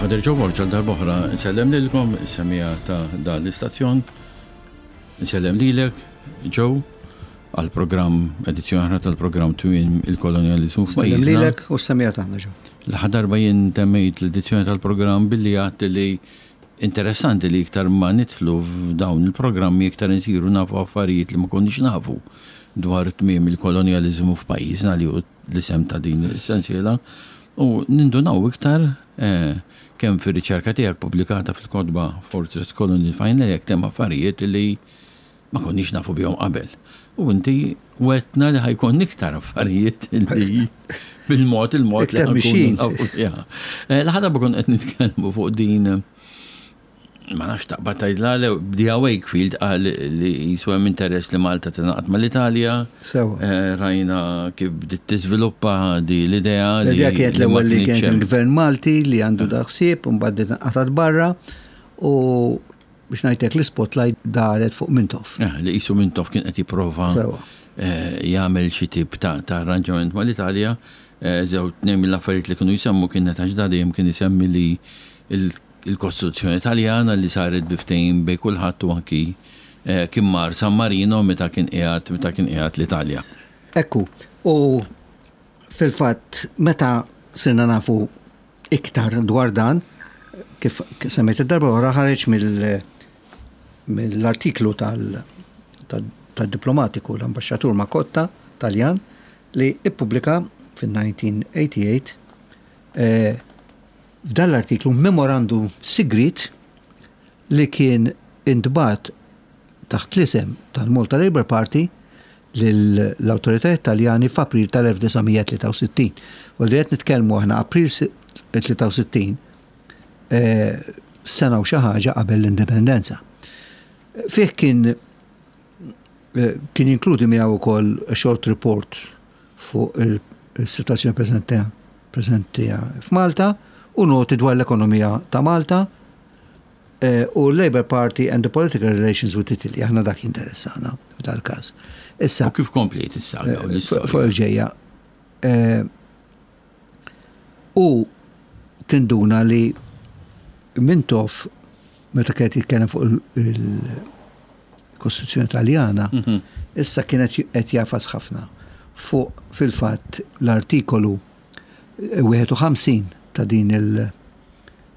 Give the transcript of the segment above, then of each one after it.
Father Joe Borg għal darb'oħra nsellem lilkom is-semija ta' dan l-istazzjon. Nsellem lilek, Joe, għal programm edizzjoni oħra tal-programm Twin il-Kolonjaliżmu f'pajjiżna. Nsellem lilek u s-semija tagħna Joe. L-aħħar darba jien temmejt l-edizzjoni tal-programm billi għadt li interessanti li iktar ma nidħlu f'dawn il-programmi iktar insiru nafu affarijiet li ma konniex nafu dwar tmiem il-kolonjaliżmu f'pajjiżna li hu l-isem ta' din is-sensiela u nindunaw iktar kemm fir-riċerka tiegħek pubblikata fil-kotba Fortress Colony Final jekk hemm affarijiet li ma konniex nafu bihom qabel. U inti wetna li ħajkun iktar affarijiet li bil-mod il-mod li ħankun nafu biha. Eh, l-ħadha bkun qed nitkellmu fuq din ma nafx taqbad tgħidla le bdija Wakefield qal li jisu hemm interess li Malta tingħaqad mal-Italja. Sewa. Eh, rajna kif bdiet tiżviluppa di l-idea li. L-idea kienet l-ewwel li kien il-Gvern Malti li għandu da ħsieb u mbagħad inqatgħet barra u biex ngħidlek l-ispotlight daret fuq Mintoff. Eh, li qisu Mintoff kien qed jipprova eh, jagħmel xi tip ta' arranġament mal-Italja. Żew tnejn mill-affarijiet li kienu jsemmu kienet għax da dejjem kien isemmi li il-Kostituzzjoni Taljana li saret bi ftehim bejn kulħadd u anki kien mar San Marino meta kien qiegħed meta kien qiegħed l-Italja. Ekku, u fil-fatt meta sirna nafu iktar dwar dan, kif semmejt id-darba wara ħareġ mill-artiklu tal-diplomatiku l-ambaxxatur Macotta Taljan li ippubblika fin-1988 F'dan l-artiklu memorandum sigriet li kien intbagħat taħt l-isem tal-Malta Labour Party lill-awtoritajiet Taljani f'April tal-1963. U li qed nitkellmu aħna April 63, eh, sena u xi ħaġa qabel l-indipendenza. Fih kien eh, kien jinkludi miegħu wkoll short report fuq il-sitwazzjoni preżenti preżenti f'Malta u noti dwar l-ekonomija ta' Malta eh, u l-Labour Party and the Political Relations with Italy. Aħna dak jinteressana f'dal-każ. Issa. U kif kompliet is-saga u l-istorja? Fuq il-ġejja. Eh, u tinduna li Mintoff meta kienet jitkellem fuq il-Kostituzzjoni Taljana, mhm. issa kienet qed jafas ħafna fuq fil-fatt l-artikolu 51 ta' din il-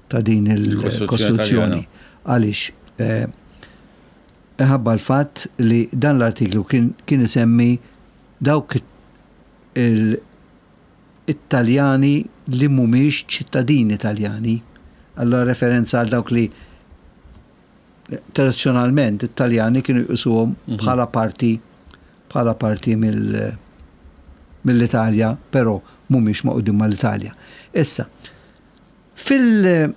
ta' din il-Kostituzzjoni. Għaliex eh, ħabba l-fatt li dan l-artiklu kien isemmi dawk il-Taljani li mhumiex ċittadini Taljani. Allura referenza għal dawk li tradizzjonalment it-Taljani kienu jqisuhom mhm. bħala parti bħala parti mill-Italja, però mhumiex maqudin mal-Italja. Issa, fil-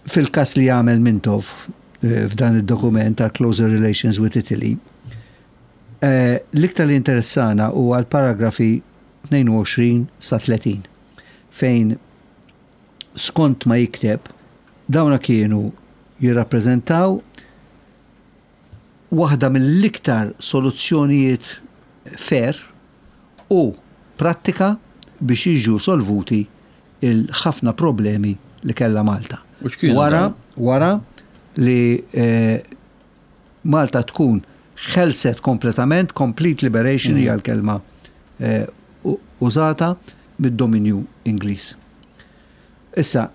fil-kas li jagħmel Mintoff eh, f'dan id-dokument tal Closer Relations with Italy, eh, l-iktar li interessana huwa l-paragrafi 22 sa 30 fejn skont ma jikteb dawna kienu jirrappreżentaw waħda mill-iktar soluzzjonijiet fair u prattika biex jiġu solvuti il-ħafna problemi li kellha Malta. Wara, wara li eh, Malta tkun ħelset kompletament, complete liberation hija l-kelma eh, użata mid-dominju Ingliż. Issa,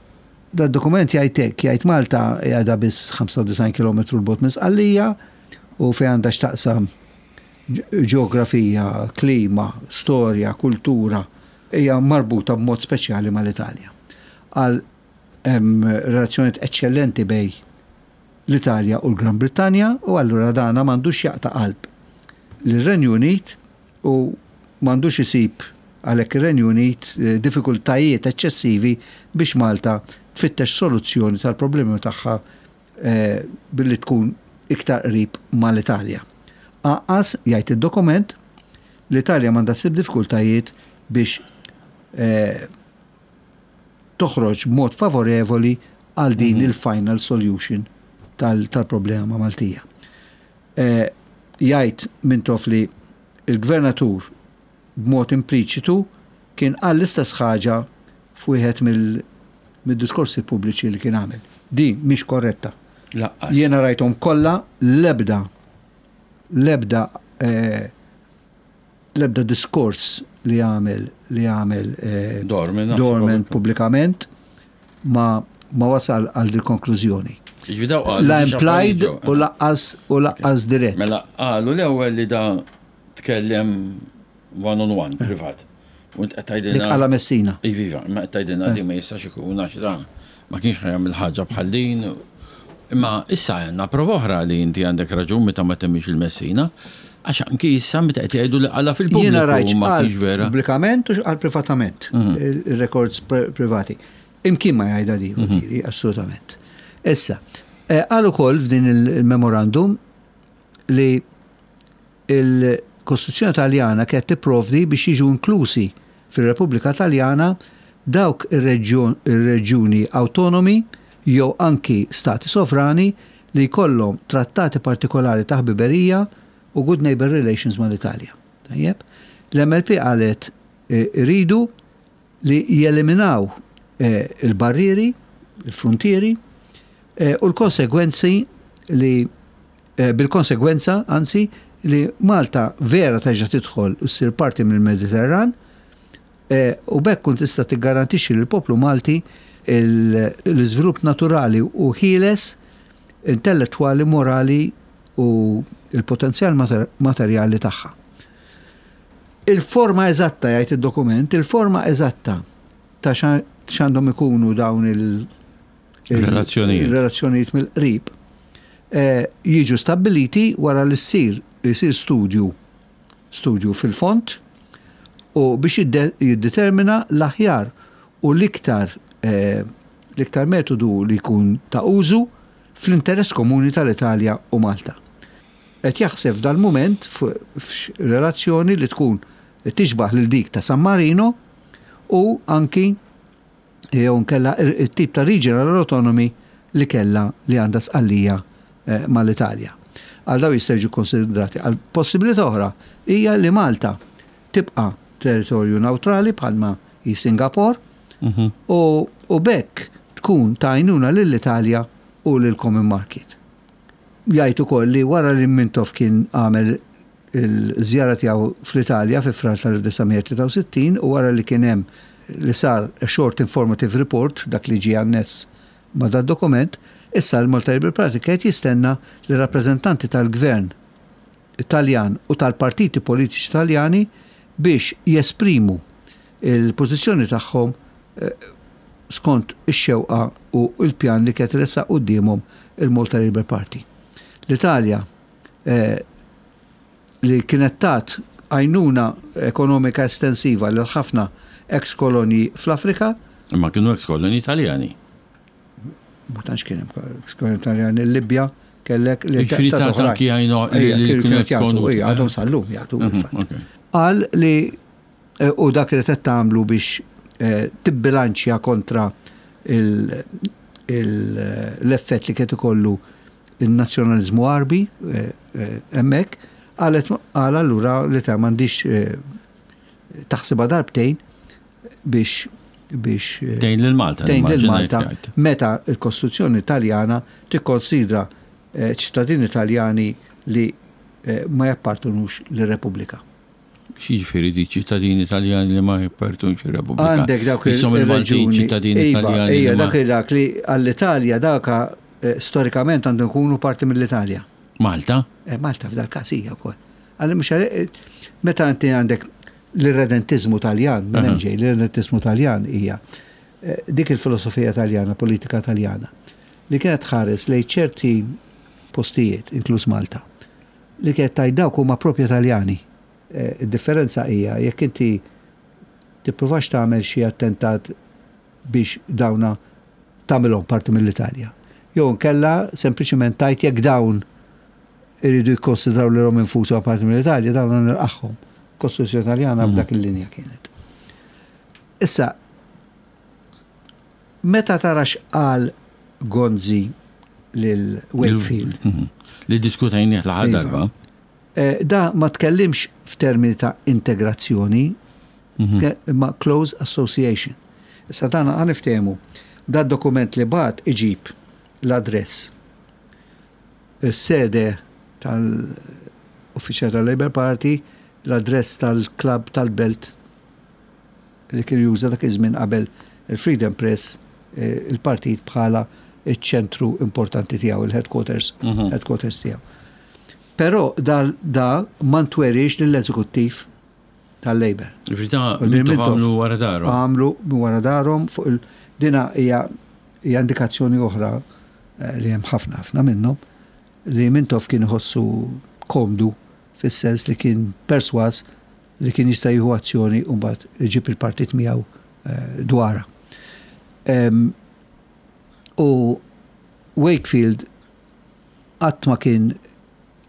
da dokument jgħid hekk, jgħid Malta qiegħda biss 95 km 'l bogħod minn Sqallija u fejn għandha x'taqsam ġeografija, klima, storja, kultura hija marbuta b'mod speċjali mal-Italja. Għal hemm relazzjonijiet eċċellenti bejn l-Italja u l-Gran Brittanja u allura dana m'għandux jaqta' qalb lir-Renju Unit u m'għandux isib għalhekk ir-Renju Unit diffikultajiet eċċessivi biex Malta tfittex soluzzjoni tal-problemi tagħha billi tkun iktar qrib mal-Italja. Anqas, jgħid id-dokument, l-Italja m'għandha ssib diffikultajiet biex toħroġ b'mod favorevoli għal din mhm. il-final solution tal-problema Maltija. Eh, jgħid Mintoff li il-gvernatur b'mod impliċitu kien qal l-istess ħaġa f'wieħed mid-diskorsi pubbliċi li kien għamel. Din mhix korretta. Lanqas. Jiena rajthom kollha l-ebda l-ebda eh, l-ebda diskors li għamel li għamel eh, Dorman, naħseb Dorman pubblikament ma ma wasal għal dil konklużjoni. Jiġifieri daw qalu La xi implied affarijiet ġew. u laqqas u laqqas dirett. Mela qalu l-ewwel li da tkellem one on one privat. U int qed Dik tgħidilna. qala Messina. Iva, iva, imma qed tgħidilna di ma jistax ikun għax da ma kienx ħa jagħmel ħaġa bħal din. Imma issa għandna prova oħra li inti għandek raġun meta ma temmix il-Messina, għax anki issa meta qed jgħidu li qala Jiena fil-pubbliku rajt ma x'qal kienx vera. pubblikament u x'qal privatament, il-records privati. Imkien ma jgħidha di, vuol assolutament. Issa, eh, qal ukoll f'din il-memorandum li il-Kostituzzjoni Taljana kienet tipprovdi biex jiġu inklusi fir-Repubblika Taljana dawk ir-reġjuni awtonomi jew anki stati sovrani li jkollhom trattati partikolari ta' ħbiberija u good neighbor relations mal-Italja. Tajjeb? L-MLP qalet eh, iridu li jeliminaw eh, il-barrieri, il-frontieri eh, u l-konsegwenzi li eh, bil-konsegwenza, anzi, li Malta vera terġa' tidħol u ssir parti mill-Mediterran eh, u b'hekk kun tista' tiggarantixxi lill-poplu Malti l-iżvilupp naturali u ħieles intellettwali, morali u il-potenzjal materjali tagħha. Il-forma eżatta, jgħid id-dokument, il-forma eżatta ta' x'għandhom ikunu dawn il- Relazzjonijiet. il-relazzjonijiet mill-qrib eh, jiġu stabbiliti wara li ssir jsir studju studju fil-fond u biex jiddetermina l-aħjar u l-iktar eh, l-iktar metodu li jkun ta' użu fl-interess komuni tal-Italja u Malta. Qed jaħseb f'dal-mument f'relazzjoni li tkun tixbaħ lil dik ta' San Marino u anki jew nkella it-tip ta' regional autonomy li kella li għandha Sqallija eh, mal-Italja. Għal daw jistgħu jiġu konsidrati. Għal possibilità oħra hija li Malta tibqa' territorju neutrali bħalma hi Singapore u, u b'hekk tkun ta' għajnuna lill-Italja u lill-Common Market. Jgħid ukoll li wara li Mintoff kien għamel il-żjara tiegħu fl-Italja fi Frar tal-1963 u wara li kien hemm li sar a short informative report dak li ġie anness ma' dat dokument, issa l-Malta Labour Party qed jistenna li rappreżentanti tal-gvern Taljan u tal-partiti politiċi Taljani biex jesprimu il-pożizzjoni tagħhom eh, skont ix-xewqa u l-pjan li kienet ressaq quddiemhom il-Malta Labour Party. L-Italja eh, li kienet tat għajnuna ekonomika estensiva lil ħafna ex-kolonji fl-Afrika, Imma kienu ex-kolonji Italjani. ma tantx kien hemm ex-kolonji Italjani, il-Libja kellek li Jiġifieri ta' ta' oħrajn. anki għajnu li Ejja, li kienu kienu qed jagħtu, ex-kolonji. ejja, għadhom sal-lum jagħtu fil-fatt. Ok. Qal li eh, u dak li qed tagħmlu biex eh, tibbilanċja kontra il- il- l-effett li kien ikollu il-nazzjonalizmu Għarbi eh, eh, hemmhekk, qalet qal allura li ta' m'għandix eh, taħsibha darbtejn biex biex eh, Tgħin lil Malta. tgħin lil nimmaġina Malta jgħid. meta l-Kostituzzjoni Taljana tikkonsidra eh, ċittadini Taljani li eh, ma jappartenux lir-Repubblika. X'jiġifieri di ċittadini Taljani li ma jappartenux ir-Repubblika? Għandek dawk Isom il-Maltin il-reġuni. ċittadini Iva, Taljani. li Ija, ma- dak dak li għall-Italja daka eh, storikament għandhom ikunu parti mill-Italja. Malta? Eh, Malta f'dal każ hija wkoll. Għalli mhux għal- eh, meta inti għandek l-irredentizmu Taljan, minn hemm ġej, l-irredentizmu Taljan hija eh, dik il-filosofija Taljana, politika Taljana, li kienet tħares lejn ċerti postijiet, inkluż Malta, li kienet tgħid dawk huma propju Taljani. Eh, Id-differenza hija jekk inti tippruvax tagħmel xi attentat biex dawna tagħmilhom parti mill-Italja. Jew nkella sempliċement tajt jekk dawn iridu jikkonsidraw li rom infushom parti mill-Italja, dawn nilqaħħom. Kostituzzjoni Taljana b'dak il-linja kienet. Issa, meta tara x'qal Gonzi lil Wakefield, Li diskutajnieh l-aħħar Iva. darba. eh, da ma tkellimx f'termini ta' integrazzjoni, imma close association. Issa dan għan niftehmu. Dad-dokument li bagħat iġib l-address, is-sede tal-uffiċjal tal-Labour Party, l-address tal-klabb tal-belt li kien juża dak iż-żmien qabel il-Freedom Press il-partit bħala ċ-ċentru importanti tiegħu, il-headquarters, headquarters tiegħu. Però da, da ma ntweriex lill-eżekuttiv tal-Labour. Ġifieri ta' għamlu wara darhom. Għamlu wara darhom fuq il dina hija hija indikazzjoni oħra eh, li hemm ħafna ħafna minnhom li Mintoff kien iħossu komdu fis-sens li kien perswas li kien jista' jieħu azzjoni u mbagħad iġib il-partit miegħu eh, dwarha. U Wakefield qatt ma kien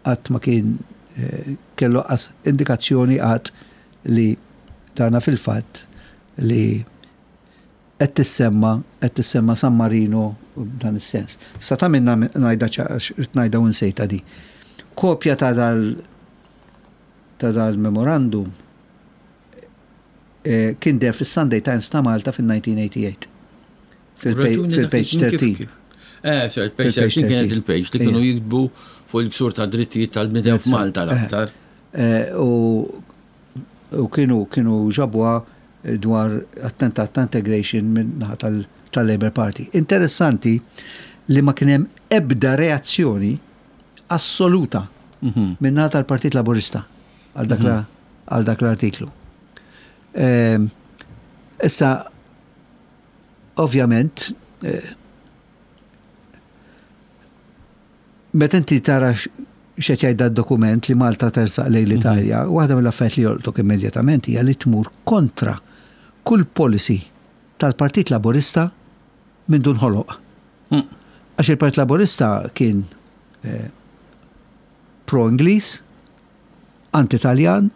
qatt ma kien eh, kellu qas indikazzjoni qatt li dana fil-fatt li qed tissemma qed tissemma San Marino b'dan is-sens. Sa ta' minna ngħidha rid ngħidha u nsejtha di. Kopja ta' dal ta' dal-memorandum eh, kien der fis-Sunday Times ta' Malta fil-1988. Fil-page 13. Eh, page 13 kienet il-page li kienu jiktbu fuq il-ksur ta' drittijiet tal-bnedem f'Malta l-aktar. Eh, u kienu kienu ġabwa dwar attentat ta' integration minn naħa tal-Labour Party. Interessanti li ma kien hemm ebda reazzjoni assoluta mhm. minn naħa tal-Partit Laburista għal dak mhm. l-artiklu. Ehm, issa, ovvjament, eh, meta inti tara x'qed jgħid dokument li Malta tersaq lejn l-Italja, mhm. waħda mill-affarijiet li jolqtok immedjatament hija li tmur kontra kull policy tal-Partit Laburista minn dun ħoloq. Mm. Għax il-Partit Laburista kien eh, pro-Ingliż, anti-Taljan,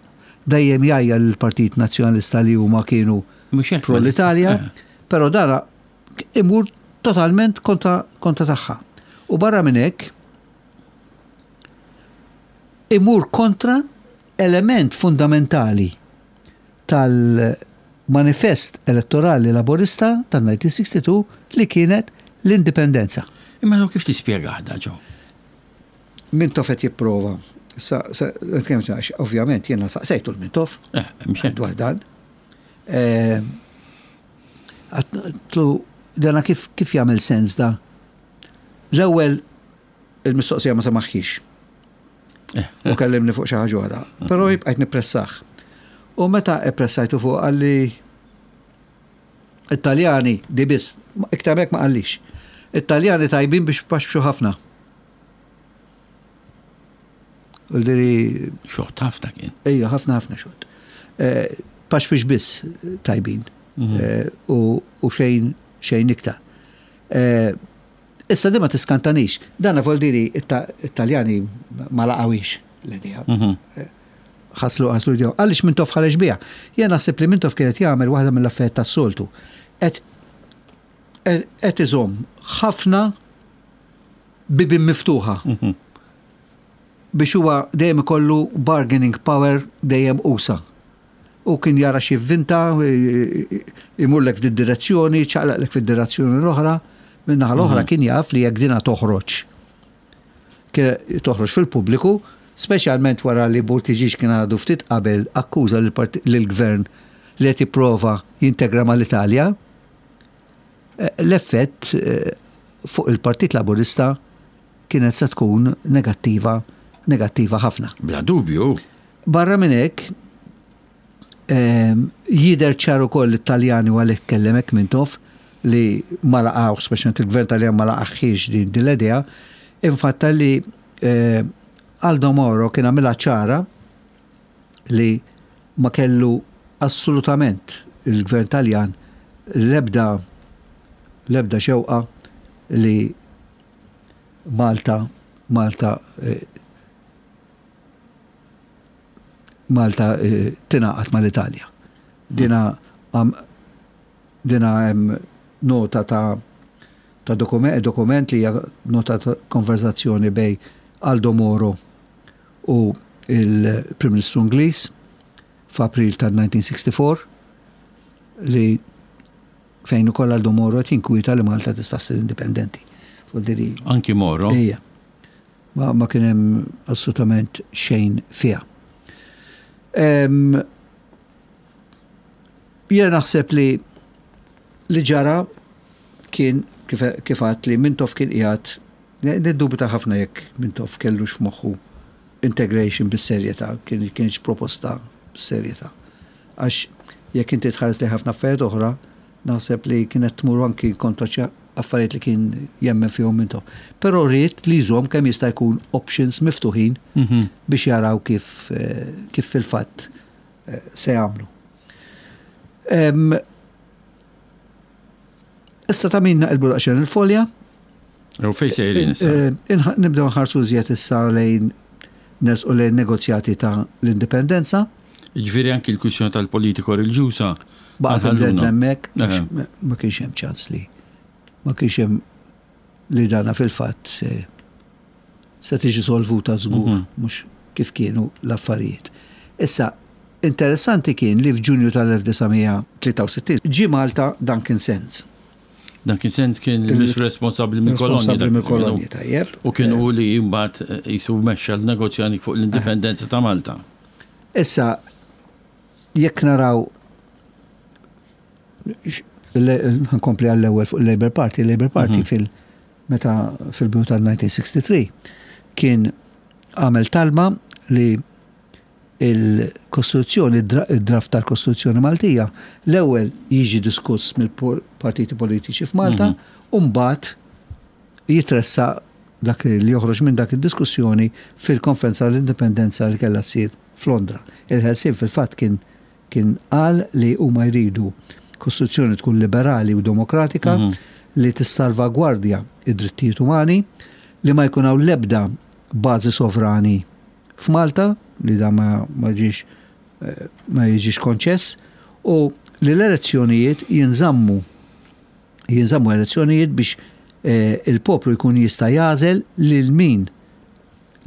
dejjem jgħajjar lill-Partit Nazzjonalista li huma kienu pro l-Italja, eh. però dara imur totalment kontra, kontra tagħha. U barra minn hekk imur kontra element fundamentali tal-manifest elettorali laborista tal-1962 li kienet l-indipendenza. Imma kif tispjega da ġo? Mintoff qed jipprova. Sa, sa, ovvjament jiena saqsejtu l-Mintoff eh, dwar dan. Eh, għatlu dana kif, kif jagħmel sens da? L-ewwel il-mistoqsija ma semaħħix. Eh. U kellimni fuq xi ħaġa oħra. Però jibqajt nippressaħ. U meta ippressajtu fuq għalli it-Taljani di biss, iktar ma qallix. It-Taljani tajbin biex paxxu ħafna. U diri. Xott ħafna kien. Ejja, ħafna ħafna xott. Eh, pax biex biss tajbin. Mhm. Eh, u xejn xejn iktar. Eh, issa di ma tiskantanix. Dana vol diri it-Taljani ma laqawix l-idea. Mhm. Ħaslu ħaslu idea. Għaliex Mintoff ħareġ biha? Jien naħseb li Mintoff kienet jagħmel waħda mill-affarijiet tas-soltu. Qed iżomm ħafna bibien miftuħa biex huwa dejjem ikollu bargaining power dejjem usa. U kien jara x'jivvinta, imurlek f'din direzzjoni, ċaqlaqlek fid-direzzjoni l-oħra. Min-naħa l-oħra mhm. kien jaf li jekk dina toħroġ toħroġ fil-pubbliku, speċjalment wara li Buttigieg kien għadu ftit qabel akkuża lill-gvern li qed jipprova jintegra mal-Italja, l-effett fuq il-Partit Laburista kienet se tkun negattiva, negattiva ħafna. Bla dubju. Barra minn hekk, ehm, jidher ċar ukoll it-Taljani u għalhekk kellem hekk Mintoff li ma laqgħux, speċjalment il-gvern Taljan ma laqaħħiex din l-idea, infatta li eh, Aldo Moro kien għamilha ċara li ma kellu assolutament il-Gvern Taljan l-ebda l-ebda xewqa li Malta Malta eh, Malta eh, tingħaqad mal-Italja. Dina dina hemm nota ta' ta' dokument, dokument li hija nota ta' konverzazzjoni bej Aldo Moro u il-Prim Ministru Ingliż f'April tal-1964 li Fejn ukoll Aldo Moro qed jinkwieta li Malta tista' ssir indipendenti. Anki Moro? Ejja. Ma, ma kien hemm assolutament xejn fiha. Jien naħseb li li ġara kien kif kif għedt li Mintoff kien qiegħed niddubita ħafna jekk Mintoff kellux f'moħħu integration bis-serjetà, kien kienx proposta bis-serjetà. Għax jekk inti tħares lejn ħafna affarijiet oħra, naħseb li kienet tmur anki kontra xi affarijiet li kien jemmen fihom Mintoff. Però ried li jżomm kemm jista' jkun options miftuħin biex jaraw kif kif fil-fatt se jagħmlu. Issa ta' min naqilbu daqsxejn il-folja. U fejn sejrin issa? Eh, nibdew nħarsu iżjed issa lejn nersqu lejn negozjati ta' l-indipendenza. Ġifieri anki l-kwistjoni tal-politiko reliġjuża. Baqgħet imded hemmhekk ma kienx hemm ċans li ma kienx hemm li dana fil-fatt se se tiġi solvuta żgur mhm. mhux kif kienu l-affarijiet. Issa, interessanti kien li f'Ġunju tal-1963 ġie Malta Duncan Sands. Duncan Sands kien il-Ministru responsabbli mill-kolonji. Responsabbli mill-kolonji, tajjeb. U kien hu li mbagħad eh, jisu mexxa l-negozjani fuq l-indipendenza ta' Malta. Issa, jekk naraw nkompli għall-ewwel fuq il-Labour Party, il-Labour Party mhm. fil- meta fil-bidu tal-1963 kien għamel talba li il-Kostituzzjoni, id-draft tal-Kostituzzjoni Maltija, l-ewwel jiġi diskuss mill-partiti politiċi f'Malta mhm. u mbagħad jitressaq dak li joħroġ minn dak id-diskussjoni fil-Konferenza l-Indipendenza li kellha ssir f'Londra. Il-Ħelsien fil-fatt kien kien qal li huma jridu Kostituzzjoni tkun liberali u demokratika li tissalvagwardja d-drittijiet umani, li ma jkun hawn l-ebda bażi sovrani f'Malta, li dan ma ġiex ma jiġix konċess, u li l-elezzjonijiet jinżammu jinżammu elezzjonijiet biex il-poplu jkun jista' jagħżel lil min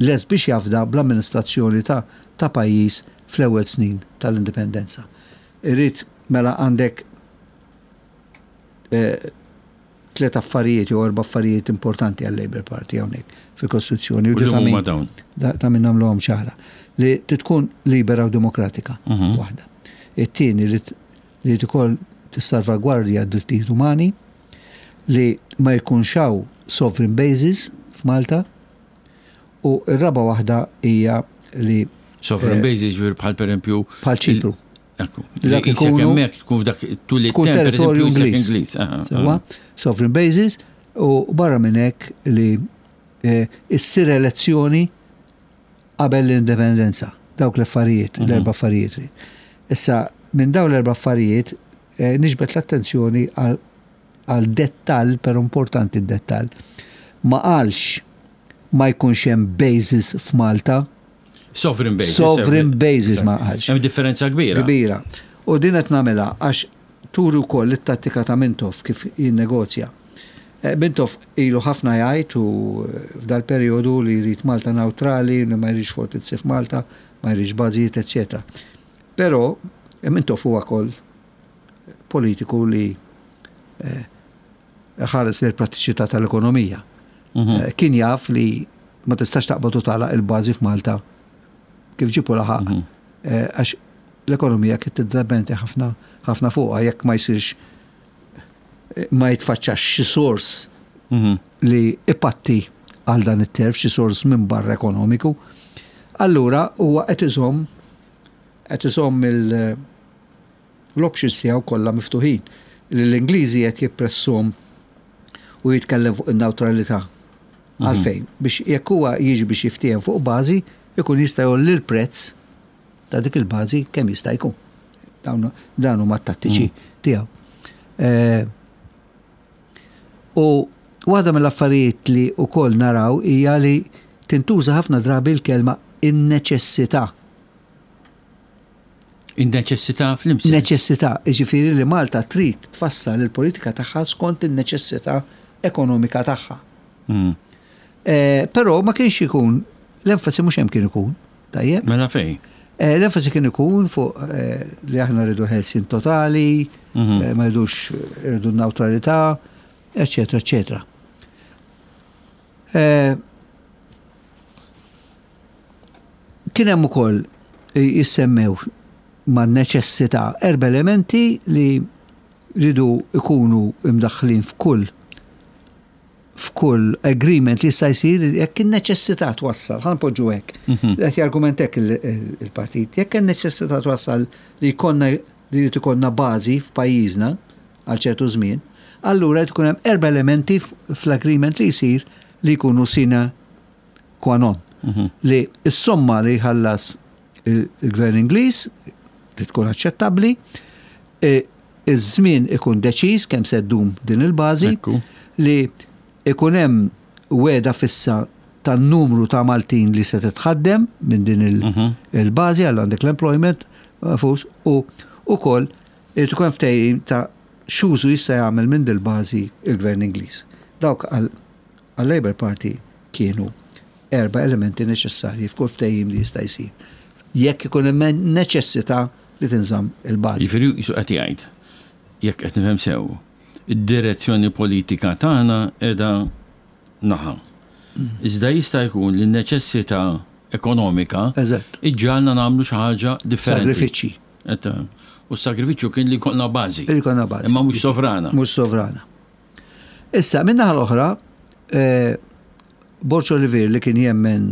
lest biex jafda bl-amministrazzjoni ta' ta' pajjiż fl-ewwel snin tal-indipendenza. Irrid mela għandek tliet affarijiet jew erba' affarijiet importanti għal-Labour Party hawnhekk fil-Kostituzzjoni. U li huma dawn? Ta' min nagħmluhom ċara. Li tkun libera u demokratika mhm. waħda. It-tieni li li tkoll tissalvagwardja d-drittijiet umani, li ma jkunx hawn sovereign bases f'Malta, U r-raba' waħda hija li. Sovereign eh, bases ġifieri bħal pereżempju. Bħal Ċipru. Ekku. Dak ikunu. Hemmhekk tkun f'dak tul it-temp territorju Ingliż. Sewwa, sovereign bases u barra minn hekk li eh, issir elezzjoni qabel l-indipendenza. Dawk l-affarijiet, mhm. l-erba' affarijiet. Issa, minn dawn l-erba' affarijiet eh, niġbed l-attenzjoni għal għal dettall, però importanti d-dettall, ma qalx ma jkunx hemm bases f'Malta. Sovereign bases. Sovereign bases ma qalx. Hemm differenza kbira. Kbira. U din qed nagħmilha għax turi wkoll it-tattika ta' Mintoff kif jinnegozja. Eh, Mintoff ilu ħafna jgħid u eh, f'dal-perjodu li jrid Malta neutrali, li ma jridx fortizzi f'Malta, ma jridx bażijiet, eċċetera. Però eh, Mintoff huwa wkoll politiku li eh, ħares lejn prattiċità tal-ekonomija. Mhm. Eh, kien jaf li ma tistax taqbad u tagħlaq il-bażi f'Malta kif ġipu laħaq. Mhm. Eh, għax l-ekonomija kien tiddependi ħafna ħafna fuqha jekk ma jsirx ma jitfaċċax xi sors mhm. li ipatti għal dan it-terf, xi sors minn barra ekonomiku. Allura huwa qed iżomm qed iżomm il- L-options tiegħu kollha miftuħin. Li l-Ingliżi qed jippressuhom u jitkellem fuq in-newtralità. Mhm. Għalfejn? Biex jekk huwa jiġi biex jiftiehem fuq bażi, ikun jista' jgħolli l-prezz ta' dik il-bażi kemm jista' jkun. Dawn huma t-tattiċi mhm. tiegħu. Eh, u waħda mill-affarijiet li wkoll naraw hija li tintuża ħafna drabi l-kelma in-neċessità. In-neċessità fl-imsens. Neċessità, jiġifieri li Malta trid tfassal il-politika tagħha skont in-neċessità ekonomika tagħha. Mm. Eh, però ma kienx ikun, l-enfasi mhux hemm kien ikun, tajjeb? Mela fejn? Eh, l-enfasi kien ikun fuq eh, li aħna rridu ħelsien totali, mhm. ma jridux iridu n-neutralità, eċetera, eċetera. Eh, kien hemm ukoll jissemmew ma' neċessità erba' elementi li ridu ikunu imdaħħlin f'kull f'kull agreement li jista' jsir jekk in-neċessità twassal, ħa npoġġu hekk. Mhm. Qed jargument hekk il-partit, jekk in-neċessità twassal li jkollna li jrid ikollna bażi f'pajjiżna għal ċertu żmien, allura jrid ikun hemm erba' elementi fl-agreement li jsir li jkunu sine qua non. Mhm. Li s-somma li jħallas il-gvern Ingliż li tkun aċċettabbli, e, iż-żmien ikun deċiż kemm se ddum din il-bażi li ikun hemm wegħda fissa tan-numru ta' Maltin li se titħaddem minn din mhm. il-bażi għal għandek l-employment eh, fus u ukoll irid ikun ftehim ta' x'użu jista' jagħmel minn dil-bażi il-Gvern Ingliż. Dawk għal-Labour Party kienu erba' elementi neċessarji f'kull ftehim li jista' jsir. Jekk ikun hemm neċessità li tinżamm il-bażi. Jiġifieri qisu qed jgħid, jekk qed nifhem sew, id-direzzjoni politika tagħna qiegħda naħa. Iżda jista' jkun li n-neċessità ekonomika iġġagħalna nagħmlu xi ħaġa differenti. Sagrifiċċji. U s-sagrifiċċju kien li jkollna bażi. Li jkollna bażi. Imma mhux sovrana. Mhux sovrana. Issa, min-naħa l-oħra, eh, Borg Olivier li kien jemmen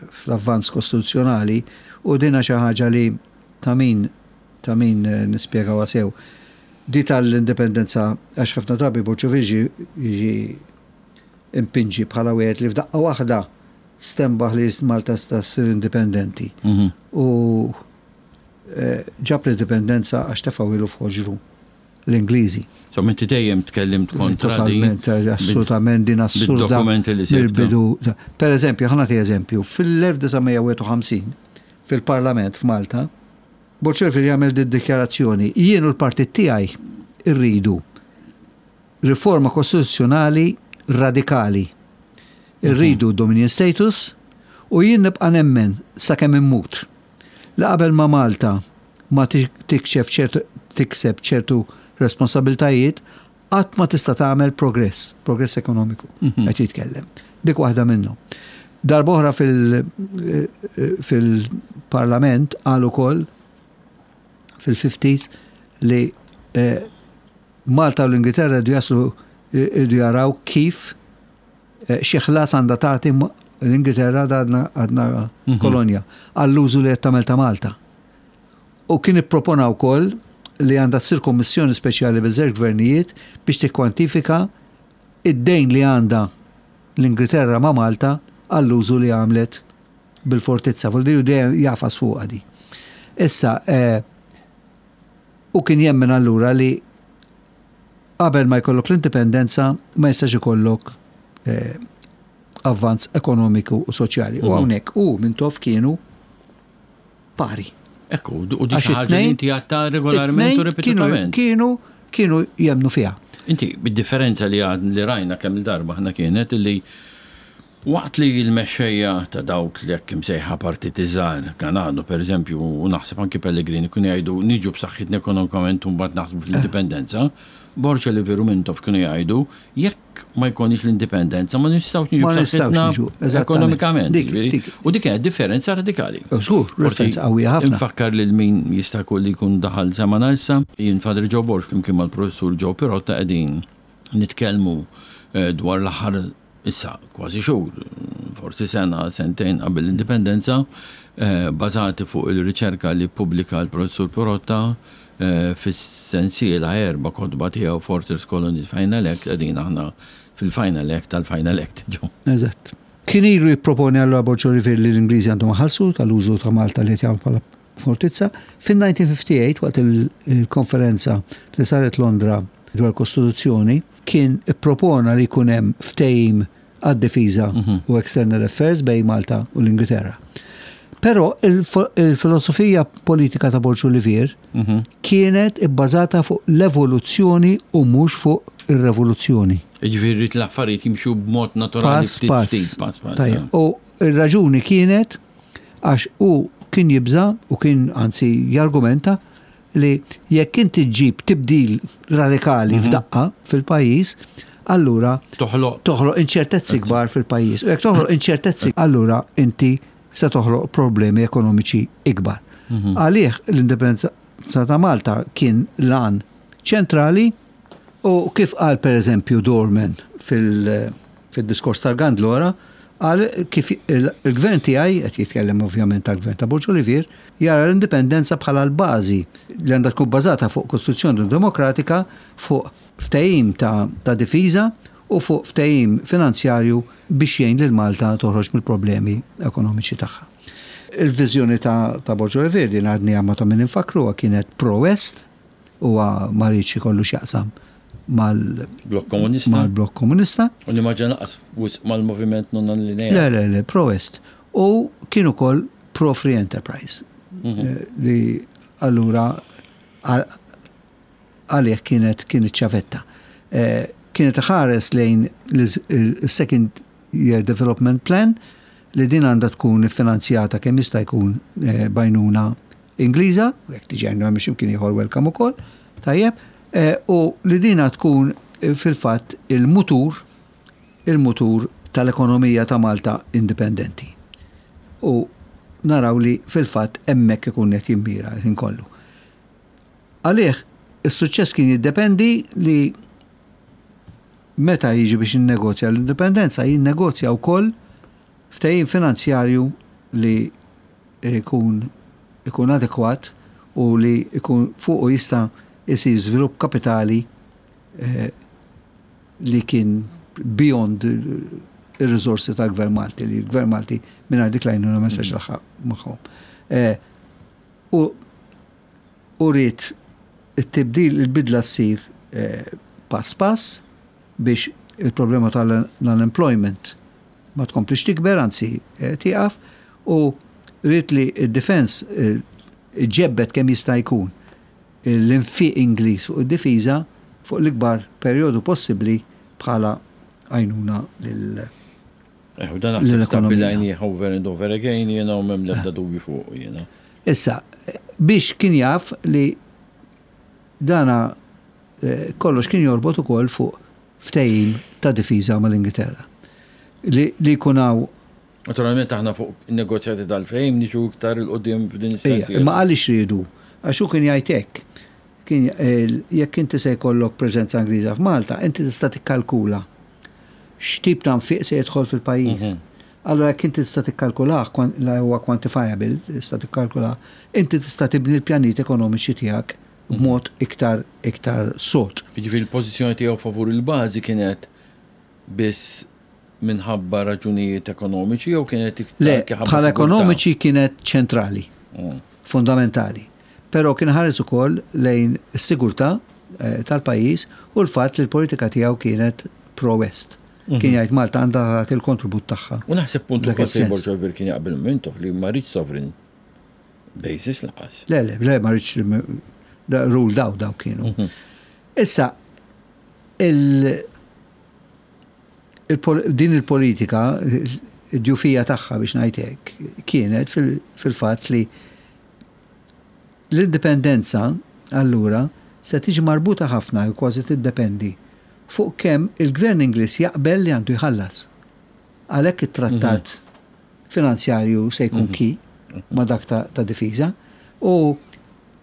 fl-avvanz kostituzzjonali u dina xi ħaġa li ta' min ta' min eh, nispjegawha sew. Di tal-indipendenza għax ħafna drabi Borg Olivier jiġi impinġi bħala wieħed li f'daqqa waħda stenbaħ li Malta sta ssir indipendenti. Mhm. U eh, ġab l-indipendenza għax tefgħu ilu f'ħoġru. l-Ingliżi. Insomma, inti dejjem tkellimt kontra din. Totalment, assolutament din assurda. Dokumenti li Mill-bidu. Per eżempju, ħa nagħti eżempju, fil-1951 fil-Parlament f'Malta, Borg Olivier jagħmel din dikjarazzjoni, jien u l-partit tiegħi rridu riforma kostituzzjonali radikali. Irridu dominion status u jien nibqa' nemmen sakemm immut li qabel ma Malta ma tikxef ċertu tikseb ċertu responsabbiltajiet, qatt ma tista' tagħmel progress, progress ekonomiku, mhm. qed jitkellem. Dik waħda minnhom. Darba oħra fil-parlament qal ukoll fil-50s li eh, Malta u l-Ingilterra jdu jaslu jdu jaraw kif eh, xi ħlas għandha tagħti l-Ingilterra għadna għadna mhm. kolonja għall-użu li qed tagħmel ta' Malta. U kien ippropona wkoll li għandha ssir kommissjoni speċjali biż-żewġ gvernijiet biex tikkwantifika id-dejn li għandha l-Ingilterra ma' Malta għall-użu li għamlet bil-fortizza. Vuol dejjem jafas fuqha di. Issa, eh, u kien jemmen allura li qabel ma jkollok l-indipendenza ma jistax ikollok eh, avvanz ekonomiku u soċjali. U mhm. hawnhekk u Mintoff kienu pari. Ekku, u dik ħaġa li inti għatta regolarment u ripetutament. Kienu, kienu jemnu fiha. Inti, bid-differenza li għad li rajna kemm il-darba ħna kienet li waqt li l-mexxejja ta' dawk li hekk imsejħa partiti żgħar, Ganado per eżempju, u naħseb anki Pellegrini kienu jgħidu niġu b'saħħitna ekonomikament u mbagħad naħsbu fl-indipendenza, Borg Olivier u Mintoff kienu jgħidu jekk ma jkollniex l-indipendenza ma nistgħux niġu b'saħħitna ekonomikament. U dik kienet differenza radikali. Żgur, differenza qawwija ħafna. Infakkar lil min jista' jkun li jkun daħal semana issa, jien Father Joe Borg flimkien mal-Professur Joe Pirotta qegħdin nitkellmu eh, dwar l-aħħar issa kważi xhur, forsi sena, sentejn qabel l-indipendenza, eh, bażati fuq il-riċerka li ppubblika l-Professur Pirotta Fis-sensiela erba' kotba tiegħu Fortress Colonies Final Act qegħdin aħna fil-Final Act tal-Final Act, ġo. Eżatt. Kien ilu jipproponi allura Borg Olivier li l-Ingliżi għandhom iħallsu tal-użu ta' Malta li qed jagħmlu bħala fortizza. Fin-1958 waqt il-konferenza li saret Londra dwar kostituzzjoni kien ippropona li jkun hemm ftehim għad-difiża mhm. u external affairs bejn Malta u l-Ingilterra. Però il-filosofija politika ta' Borġ Olivier mhm. kienet ibbażata fuq l-evoluzzjoni u mhux fuq ir-revoluzzjoni. Ġifieri l-affarijiet jimxu b'mod naturali pass pass. pass, pass. U r-raġuni kienet għax u kien jibża u kien anzi jargumenta li jekk inti ġġib tibdil radikali mhm. f'daqqa fil-pajjiż, allura toħloq toħloq inċertezzi kbar fil-pajjiż. U jekk toħloq inċertezzi, allura inti se toħloq problemi ekonomiċi ikbar. Mhm. Għalih l-indipendenza ta' Malta kien lan ċentrali u kif qal per eżempju Dorman fil-diskors tal-Gandlora, qal kif il-gvern tiegħi, qed jitkellem ovvjament tal-gvern ta' Borg Olivier, jara l-indipendenza bħala l-bażi li għandha tkun bbażata fuq Kostituzzjoni Demokratika, fuq ftehim ta' difiża u fuq ftehim finanzjarju biex jgħin lil Malta toħroġ mill-problemi ekonomiċi tagħha. Il-viżjoni ta' Borg Olivier din għadniha ma ta' min infakkruha kienet pro-West, Huwa ma riedx ikollu x'jaqsam mal-Blokk Komunista. Mal-Blokk Komunista. U nimmaġina lanqas wisq mal-Moviment Non Allineat. Le, le, le, pro-West. U kien ukoll pro-Free Enterprise. Mhm. Eh, li allura għalih kienet kienet ċavetta. Eh, kienet ħares lejn il-Second Year Development Plan li din għandha tkun iffinanzjata kemm jista' jkun eh, bajnuna Ingliża, u jekk tiġi għajnuna minn x'imkien ieħor welcome ukoll, tajjeb, eh, u li dina tkun eh, fil-fatt il-mutur il-mutur tal-ekonomija ta' Malta indipendenti. U naraw li fil-fatt hemmhekk ikun qed jimmira l-ħin kollu. Għalih is-suċċess kien jiddependi li meta jiġi biex jinnegozja l-indipendenza jinnegozja wkoll ftehim finanzjarju li jkun ikun adekwat u li jkun fuqu jista' jsir żvilupp kapitali eh, li kien beyond ir-riżorsi tal-Gvern Malti, li l-Gvern Malti mingħajr dik l-għajnuna ma jistax laħaq magħhom. Eh, u u ried it-tibdil, il-bidla ssir eh, pass pass biex il-problema tal-unemployment ma tkomplix tikber, anzi eh, tieqaf, u ried li d-defense eh, iġġebbed kemm jista' jkun l-infiq Ingliż fuq id-difiża fuq l-ikbar perjodu possibbli bħala għajnuna lil Eh, u dan naħseb stabbilajnieh over and over again jiena u m'hemm l-ebda dubju fuq jiena. Issa, biex kien jaf li dana eh, kollox kien jorbot ukoll fuq ftehim ta' difiża mal-Ingilterra. Li jkun hawn Naturalment aħna fuq in-negozjati tal-ftehim niġu iktar 'il quddiem f'din is-sensiela. Imma għaliex riedu? Għax hu kien jgħid hekk. Kien jekk inti se jkollok preżenza Ingliża f'Malta, inti tista' tikkalkula x'tip ta' nfiq se jidħol fil-pajjiż. Mhm. Allura jekk inti tista' tikkalkulah, la huwa quantifiable, tista' tikkalkulah, inti tista' tibni l-pjanijiet ekonomiċi tiegħek b'mod iktar iktar sod. Jiġifieri l-pożizzjoni tiegħu favur il-bażi kienet biss minħabba raġunijiet ekonomiċi jew kienet iktar Le, bħala ekonomiċi kienet ċentrali, mm. fundamentali. Però kien ħares ukoll lejn is-sigurtà eh, tal-pajjiż u l-fatt li l-politika tiegħu kienet pro-West. Mhm. Kien jgħid Malta għandha tagħti l-kontribut tagħha. U naħseb punt ukoll fejn Borg Olivier kien jaqbel Mintoff li ma rridx sovereign basis laqas. Le, le, le, ma rridx rule daw daw kienu. Mhm. Issa, il, din il-politika, id-djufija tagħha biex ngħid hekk, kienet fil-fatt li l-indipendenza allura se tiġi marbuta ħafna jew kważi tiddependi fuq kemm il-Gvern Ingliż jaqbel li għandu jħallas. Għalhekk it-trattat mhm. finanzjarju se jkun mhm. ki ma dak ta' difiża u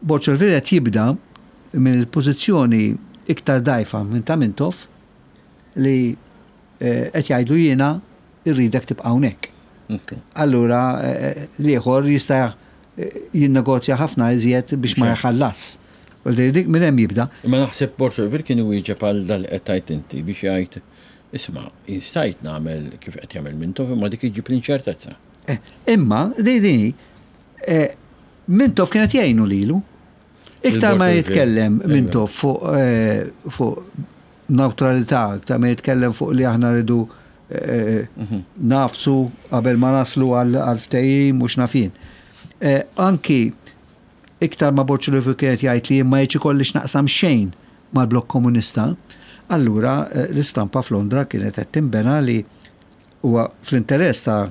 Borg Olivier qed jibda mill-pożizzjoni iktar dgħajfa minn ta' Mintoff li eh, qed jgħidu jiena rridek tibqa' hawnhekk. Allura eh, l-ieħor jista' eh, jinnegozja ħafna iżjed biex ma jħallas. U dik minn hemm jibda. Imma naħseb Borg Olivier kien iwieġeb għal dal qed tgħid inti biex jgħid isma' jien stajt nagħmel kif qed jagħmel Mintoff imma dik iġġib l-inċertezza. Imma di di Mintoff kienet jgħinu lilu. Iktar ma jitkellem Mintoff fuq eh, fuq neutralità, iktar ma jitkellem fuq li aħna rridu eh, mhm. nafsu qabel ma naslu għal ftehim mhux nafin. Eh, anki iktar ma Borg Olivier kienet jgħid li ma jiġi kollix naqsam xejn mal-blokk komunista, allura l-istampa f'Londra kienet qed tinbena li huwa fl-interess ta'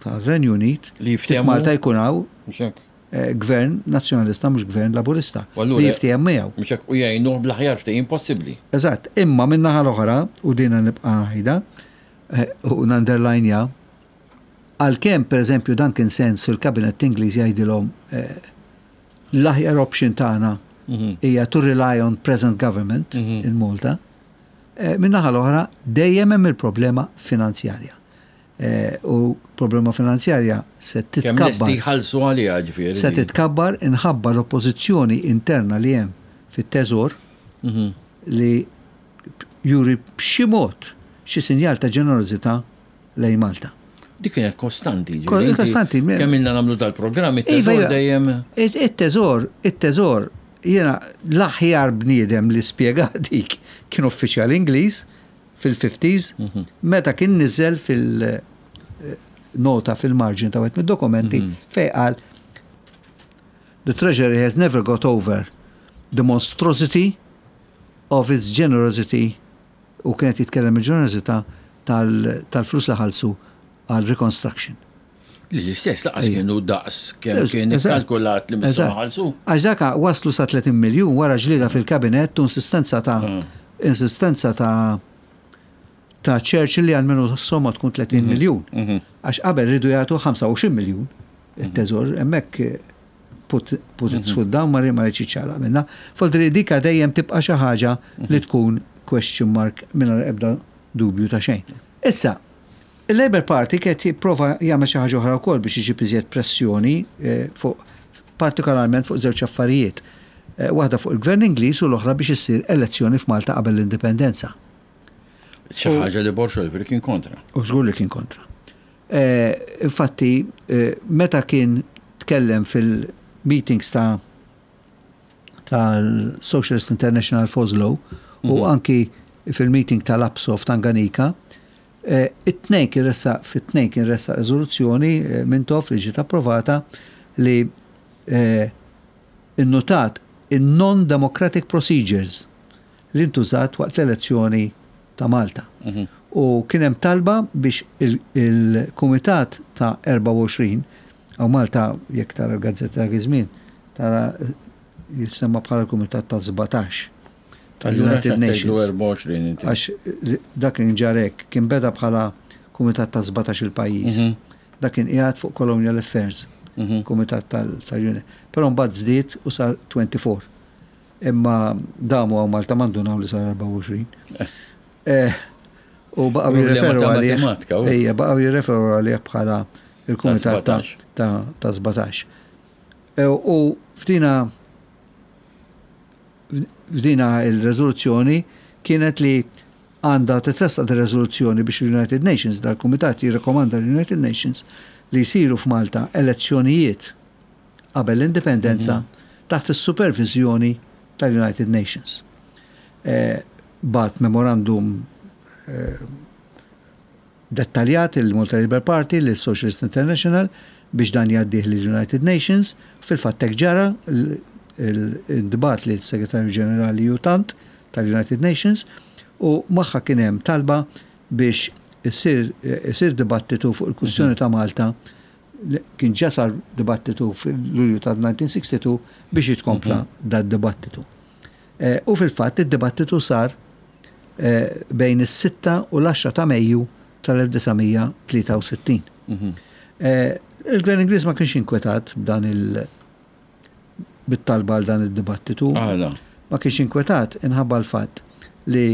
tar-Renju Unit li Malta jkun hawn. Gvern Nazzjonalista mhux Gvern Laburista li jiftiehem miegħu. Mhux hekk u jgħinuh bl-aħjar ftehim possibbli. Eżatt, imma min-naħa l-oħra, u dina nibqa' ngħidha u nunderlinja, għalkemm pereżempju Duncan Sands fil-Kabinett Ingliż jgħidilhom l-aħjar option tagħna hija to rely on present government in Malta, min-naħa l-oħra dejjem hemm il-problema finanzjarja. U problema finanzjarja se titkabbar. Kemm lesti jħallsu għaliha ġifieri. Se titkabbar inħabba l-oppożizzjoni interna li hemm fit-Teżor li juri b'xi mod xi sinjal ta' ġenerożità lejn Malta. Dik kienet kostanti. Kostanti. Kemm ilna nagħmlu dal-programm, it-teżor iva, dejjem. It-teżor, it-teżor, jiena l-aħjar bniedem li spjega dik kien uffiċjal Ingliż fil-fifties meta kien niżel fil-nota fil-marġin ta' wieħed mid-dokumenti fejn qal The Treasury has never got over the monstrosity of its generosity u kienet jitkellem il-ġenerożità tal-flus li ħallsu għal reconstruction. Li l-istess laqas kienu daqs kemm kien ikkalkulat li missu ħalsu. Għax daka waslu sa 30 miljun wara ġlieda fil-kabinett u insistenza ta' ah. insistenza ta' ta' Churchill li għalmenu somma tkun 30 mhm. miljun. Mhm. Għax qabel ridu jagħtu 25 miljun it-teżor hemmhekk eh, put, put its mhm. foot down ma ma ċala minna. Foldri dika dejjem tibqa' xi ħaġa li tkun question mark mingħajr ebda dubju ta' xejn. Issa, Il-Labour Party kien qed jipprova jagħmel xi ħaġa oħra wkoll biex iġib iżjed pressjoni fuq partikolarment fuq żewġ affarijiet. Waħda fuq il-Gvern Ingliż u l-oħra biex issir elezzjoni f'Malta qabel l-Indipendenza. Xi ħaġa li Borg Olivier kien kontra. U żgur li kien kontra. Infatti, meta kien tkellem fil-meetings ta' tal-Socialist International f'Oslo u mhm. anki fil-meeting tal-APSO f'Tanganika, eh, it-tnejn kien ressaq fit-tnejn kien ressaq riżoluzzjoni eh, Mintoff li ġiet approvata li eh, innotat in-non-democratic procedures li ntużat waqt l-elezzjoni ta' Malta. Mhm. U kien hemm talba biex il-Kumitat ta' 24 għaw Malta jekk tara l-gazzetta dak iż-żmien tara jissemma bħala l-Kumitat ta' 17 tal-United Nations. Għax dak kien ġarek, kien beda bħala Kumitat ta' 17 il-pajjiż. Mhm. Dak kien qiegħed fuq Colonial Affairs, mhm. Kumitat tal-United. Però mbagħad żdied u sar 24. Imma damu hawn Malta ma ndunaw li sar 24. Eh, u baqgħu jirreferu għalih. Ejja, baqgħu jirreferu għalih bħala il-kumitat ta' 17. E, u f'dina f'dina il-rezoluzzjoni kienet li għandha titressaq ir-rezoluzzjoni biex il-United Nations, dal-Kumitat jirrekomanda l-United Nations li jsiru f'Malta elezzjonijiet qabel l-indipendenza taħt is-superviżjoni tal-United Nations. Bagħat memorandum dettaljat il-Malta Labour Party lis-Socialist International biex dan jgħaddih lill-United Nations. Fil-fatt hekk ġara, intbagħat lill-Segretarju Ġenerali U Thant tal-United Nations u magħha kien hemm talba biex isir dibattitu fuq il-kwistjoni ta' Malta Kien ġa sar dibattitu fil-Lulju ta' 1962 biex jitkompla mhm. dad-dibattitu. Eh, u fil-fatt id-dibattitu sar eh, bejn is-6 u l-10 ta' Mejju tal-1963. Mhm. Eh, il-Gvern Ingliż ma kienx inkwetat b'dan il- bit-talba għal dan id-dibattitu. Ma kienx inkwetat inħabba l-fatt li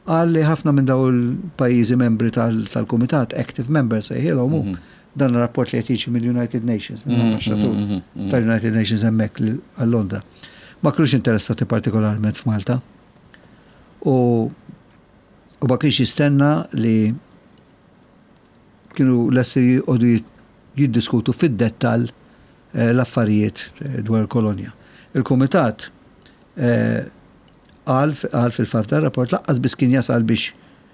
Qal li ħafna minn dawn il-pajjiżi membri tal-Kumitat, active members sejħilhom hu, mhm. dan ir-rapport li qed jiġi mill-United Nations, mhm, mill-ambaxxatur mhm, tal-United Nations hemmhekk għal Londra. Ma kienux interessati partikolarment f'Malta. U u ma kienx jistenna li kienu lesti jqogħdu jiddiskutu fid-dettall eh, l-affarijiet eh, dwar il-kolonja. Il-Kumitat eh, Qal qal fil-fatt dan ir-rapport laqqas biss kien jasal biex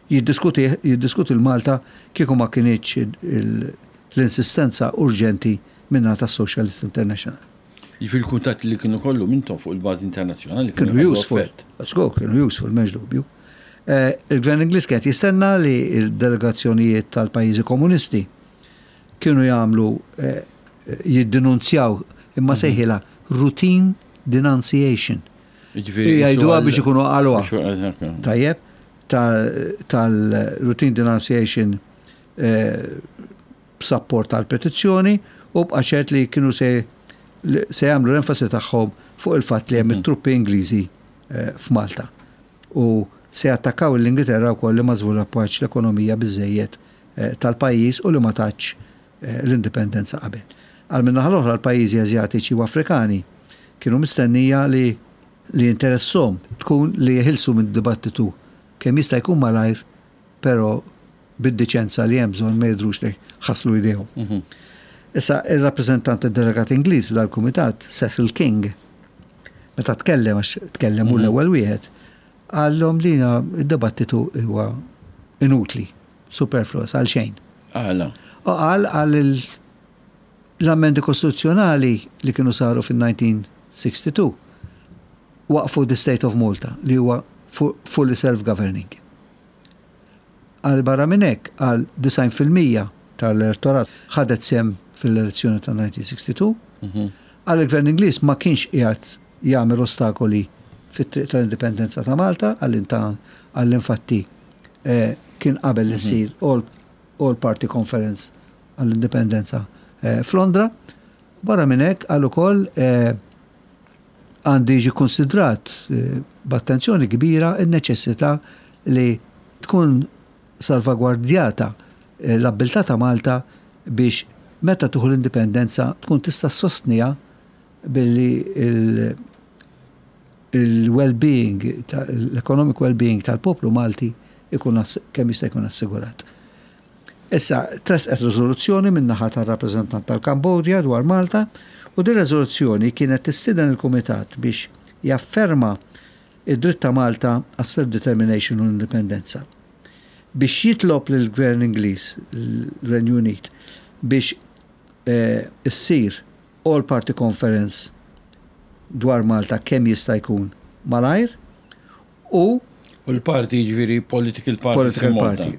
jiddiskutih jiddiskuti l-Malta kieku ma kinitx l-insistenza urġenti min-naħa tas-Socialist International. Jiġifieri l-kuntatti li kienu kollhom intom fuq il-bażi internazzjonali kienu jħallu useful. effett. Żgur kienu useful, m'hemmx dubju. Il-Gvern Ingliż kien qed jistenna li l-delegazzjonijiet tal-pajjiżi komunisti kienu jagħmlu jiddinunzjaw imma sejħilha routine denunciation. Jgħiduha biex ikunu qaluha. Tajjeb, tal-routine denunciation b'sapport tal-petizzjoni u bqa' ċert li kienu se se jagħmlu l-enfasi tagħhom fuq il-fatt li hemm it-truppi Ingliżi f'Malta. U se jattakkaw l-Ingilterra wkoll li ma żviluppatx l-ekonomija biżżejjed tal-pajjiż u li ma tatx l-indipendenza qabel. Għal min-naħa l-oħra l-pajjiżi Asjatiċi u Afrikani kienu mistennija li li jinteresshom tkun li jeħilsu mid-dibattitu kemm jista' jkun malajr però bid-diċenza li hemm bżonn ma jidhrux li ħaslu jdejhom. Issa, ir-rappreżentant delegat Ingliż f'dal-kumitat, Cecil King, meta tkellem, għax tkellem hu l-ewwel wieħed, qallhom li d-dibattitu huwa inutli, superfluous, għal xejn. Għala? U qal għal l-ammendi kostituzzjonali li kienu saru fin-1962 waqfu the State of Malta li huwa fully self-governing. Qal barra minn hekk, qal 90% tal-elettorat ħadet sehem fil-elezzjoni ta' 1962. Qal il-Gvern Ingliż ma kienx qiegħed jagħmel ostakoli fit-triq tal-indipendenza ta' Malta, qal qal infatti kien qabel li ssir All, All Party Conference għall-indipendenza f'Londra. Barra minn hekk qal ukoll għandu jiġi konsidrat b'attenzjoni kbira n-neċessità li tkun salvagwardjata l-abbiltà ta' Malta biex meta tieħu l-indipendenza tkun tista' ssostniha billi il-well-being, l-economic well-being tal-poplu Malti ikun kemm jista' jkun assigurat. Issa, tressqet riżoluzzjoni min-naħa tar-rappreżentant tal-Kambodja dwar Malta u din riżoluzzjoni kienet tistieden il-Kumitat biex jafferma id-dritt ta' Malta għas-self-determination u l-indipendenza. Biex jitlob lill-Gvern Ingliż, l-Renju Unit, biex issir All Party Conference dwar Malta kemm jista' jkun malajr u U l-parti jiġifieri political party. Political party.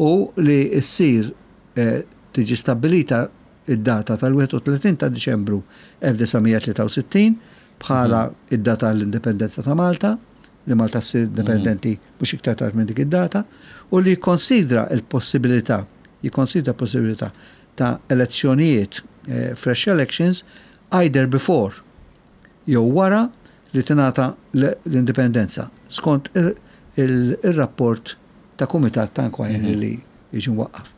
U li ssir tiġi stabbilita id-data tal-31 ta' Diċembru 1963 bħala id-data l-indipendenza ta' Malta, li Malta ssir indipendenti mhux iktar tard minn dik id-data, u li jikkonsidra l-possibilità, jikkonsidra possibilità ta' elezzjonijiet, fresh elections, either before jew wara li tingħata l-indipendenza, skont ir-rapport ta' kumitat ta' inquiry li jiġi mwaqqaf.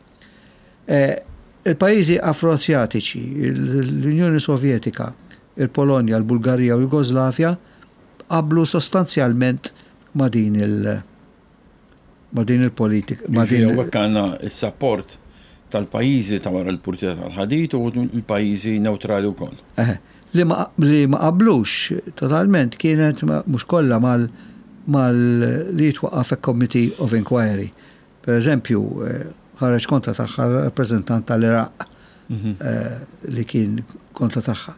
Il-pajjiżi Afro-Asjatiċi, l-Unjoni Sovjetika, il-Polonja, il-Bulgarija u Jugoslavja qablu sostanzjalment ma' din il- ma' din il-politika. Ma' din Hawnhekk għandna s-sapport tal-pajjiżi ta' wara l-purtiera tal-ħadid u l-pajjiżi newtrali wkoll. Eħe. Li ma li ma qablux totalment kienet mhux kollha mal mal li jitwaqqaf a committee of inquiry. Per eżempju, ħareġ kontra tagħha rappreżentant tal-Iraq li kien kontra tagħha.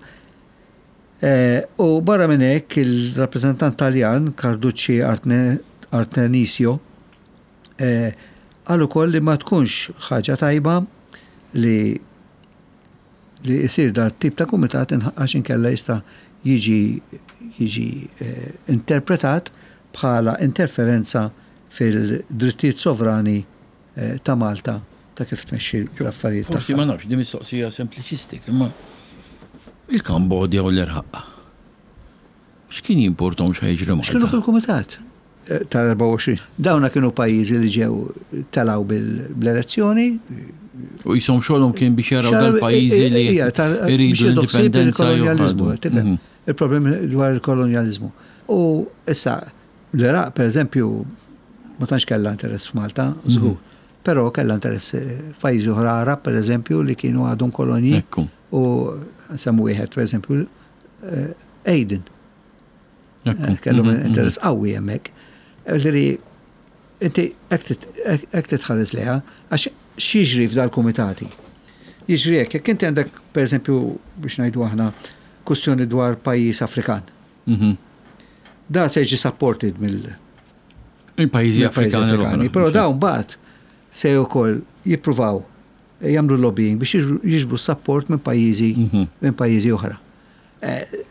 U barra minn hekk il-rappreżentant Taljan Carducci Artemisio qal ukoll li ma tkunx ħaġa tajba li li jsir da tip ta' kumitat għax inkella jista' jiġi jiġi interpretat bħala interferenza fil-drittijiet sovrani ta' Malta ta' kif tmexxi l-affarijiet tagħha. Forsi ma nafx, din mistoqsija sempliċistika, imma il-Kambodja u l-Iraq. X'kien jimportom x'ħa jiġri Malta? X'kienu fil-kumitat tal-24. Dawna kienu pajjiżi li ġew telgħu bl-elezzjoni. U jisom xogħolhom kien biex jaraw dal-pajjiżi li jridu l-indipendenza. Il-kolonjaliżmu, tifhem. Il-problemi dwar il-kolonjaliżmu. U issa L-Iraq, per eżempju, ma tantx kellha interess f'Malta, żgur. Però kellha interess f'pajjiżi oħra Arab, per eżempju, li kienu għadhom kolonji. U nsemmu wieħed, per eżempju, Aden. Kellhom interess qawwi hemmhekk. Ġifieri, inti hekk titħares lejha, għax x'jiġri f'dal-kumitati? Jiġri hekk, jekk inti għandek, per eżempju, biex ngħidu aħna, kwistjoni dwar pajjiż Afrikan. Da se jiġi supported mill Il-pajjiżi Afrikani. Però dawn mbagħad se wkoll jippruvaw jagħmlu lobbying biex jiġbru support minn pajjiżi minn pajjiżi oħra.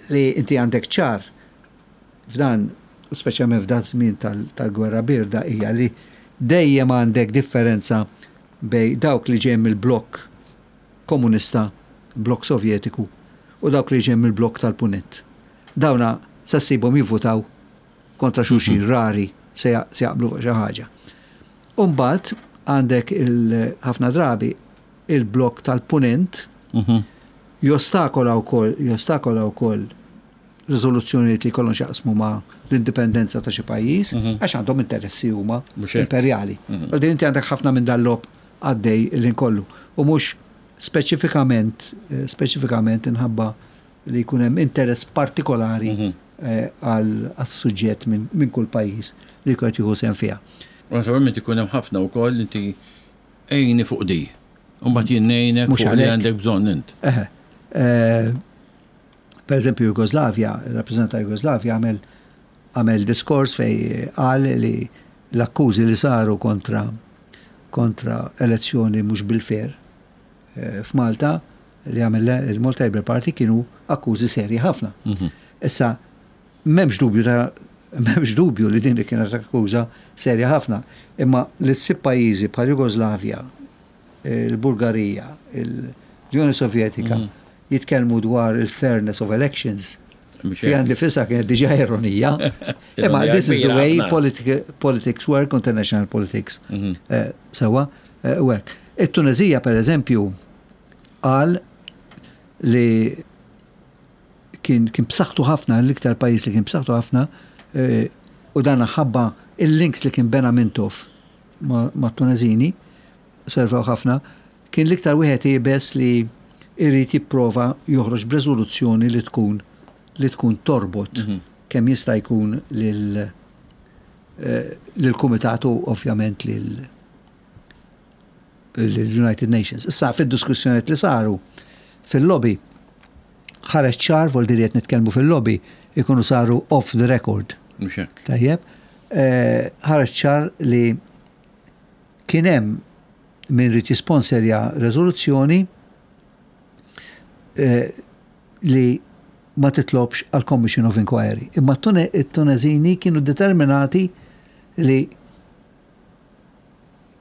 Li inti għandek ċar f'dan, u speċjalment f'dan żmien tal-gwerra birda hija li dejjem għandek differenza bejn dawk li ġejjin mill-blokk komunista, blokk Sovjetiku, u dawk li ġejjin mill-blokk tal-Punent. Dawna se ssibhom jivvutaw kontra xulxin, rari se jaqblu fuq xi ħaġa. U mbagħad għandek ħafna drabi il-blokk tal-Punent jostakola wkoll jostakola wkoll riżoluzzjonijiet li jkollhom x'jaqsmu ma' l-indipendenza ta' xi pajjiż għax għandhom interessi huma imperjali. Għal din inti għandek ħafna minn dal-logħob għaddej il-ħin kollu u mhux speċifikament speċifikament inħabba li jkun hemm interess partikolari għas-suġġett minn kull pajjiż li jkun qed jieħu sehem fiha. U naturalment ikun hemm ħafna wkoll inti għinni fuq di. U mbagħad jien ngħinek fuq li għandek bżonn int. Eħe. Per eżempju Jugoslavja, il-rappreżentant ta' Jugoslavja għamel għamel diskors fejn qal li l-akkużi li saru kontra kontra elezzjoni mhux bil-fair f'Malta li għamel il-Malta Labour Party kienu akkużi serji ħafna. Issa, m'hemmx dubju ta' m'hemmx dubju li din kienet akkuża serja ħafna, imma li ssib pajjiżi bħal Jugoslavja, il-Bulgarija, l-Unjoni Sovjetika jitkellmu dwar il-fairness of elections fiha nifisha kienet diġà ironija. Imma this is the way politics work, international politics sewwa work. It-Tunezija per eżempju qal li kien kien b'saħħtu ħafna, l-iktar pajjiż li kien b'saħħtu ħafna u dan ħabba il-links li kien bena Mintoff mat-Tunezini servew ħafna, kien l-iktar wieħed iebes li jrid jipprova joħroġ b'reżoluzzjoni li tkun li tkun torbot kemm jista' jkun lil lill-Kumitat u ovvjament lil l-United Nations. Issa fid-diskussjonijiet li saru fil-lobby ħareġ ċar vol li qed nitkellmu fil-lobby ikunu saru off the record. Mhux hekk. Tajjeb, ħareġ ċar li kien hemm min ried jisponserja reżoluzzjoni li ma titlobx għal Commission of Inquiry. Imma t-Tunezini kienu determinati li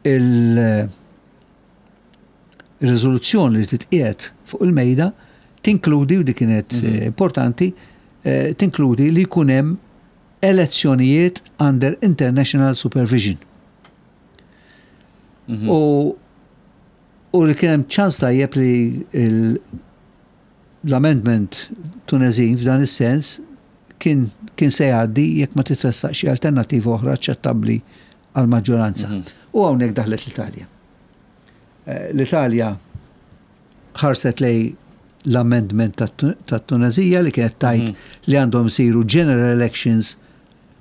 il-riżoluzzjoni li titqiegħed fuq il-mejda tinkludi, u di kienet importanti, tinkludi li jkun hemm elezzjonijiet under international supervision. U u li kien hemm ċans tajjeb li l-amendment Tunezin f'dan is-sens kien kien se jgħaddi jekk ma titressaq xi alternattiva oħra aċċettabbli għall-maġġoranza. U hawnhekk daħlet l-Italja. L-Italja ħarset lejn l-amendment tat-Tunezija li kienet tgħid li għandhom isiru general elections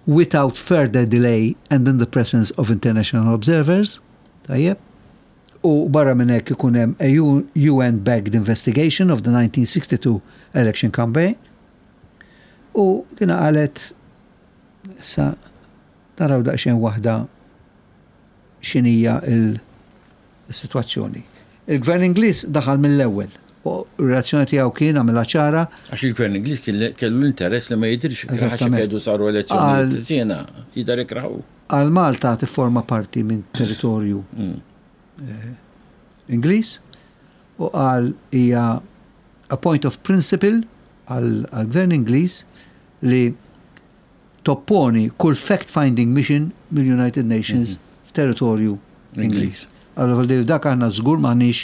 without further delay and in the presence of international observers. Tajjeb. U barra minn hekk ikun hemm a UN-backed investigation of the 1962 election campaign. U dina qalet sa naraw daqsxejn waħda x'inhija il-sitwazzjoni. Il-Gvern Ingliż daħal mill-ewwel u r-reazzjoni tiegħu kien għamilha ċara. Għax il-Gvern Ingliż kellu l-interess li ma jidhirx ikraħ għax jekk jgħidu saru elezzjonijiet żiena, jidher ikraħ hu. Għal Malta tifforma parti minn territorju Ingliż u qal hija a point of principle għall-Gvern Ingliż li topponi kull fact-finding mission mill-United Nations f'territorju Ingliż. Allura fil dak aħna żgur m'aħniex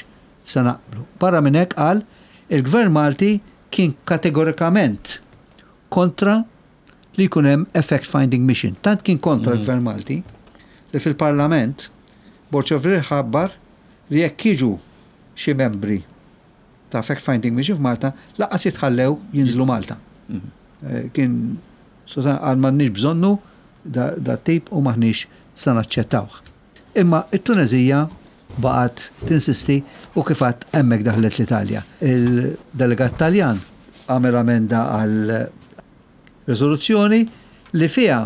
se naqblu. Barra minn hekk qal il-Gvern Malti kien kategorikament kontra li jkun hemm a fact-finding mission. Tant kien kontra l-Gvern Malti li fil-Parlament Borg Olivier ħabbar li jekk jiġu xi membri ta' fact-finding mission f'Malta, lanqas jitħallew jinżlu Malta. Kien għal m'għandniex bżonnu da tip u m'aħniex se naċċettawh. Imma it-Tunezija baqgħet tinsisti u kif għedt hemmhekk daħlet l-Italja. Il-delegat Taljan għamel amenda għal riżoluzzjoni li fiha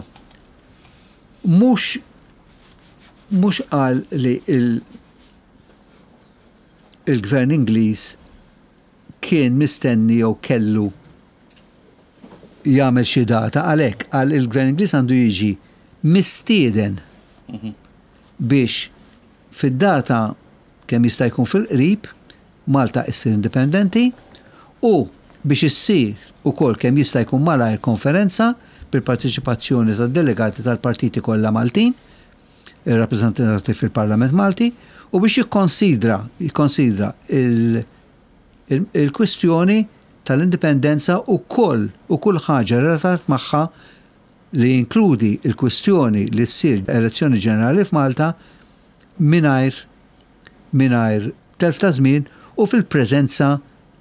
mhux mhux qal li il-gvern Ingliż kien mistenni jew kellu jagħmel xi data għalhekk qal il-Gvern Ingliż għandu jiġi mistieden biex fid-data kemm jista' jkun fil-qrib Malta issir indipendenti u biex issir ukoll kemm jista' jkun malajr konferenza bil-parteċipazzjoni tad-delegati tal-partiti kollha Maltin irrappreżentati fil-Parlament Malti u biex jikkonsidra jikkonsidra il-kwistjoni tal-indipendenza u koll u kull ħaġa relatat magħha li jinkludi l-kwistjoni li ssir elezzjoni ġenerali f'Malta mingħajr mingħajr telf ta' żmien u fil-preżenza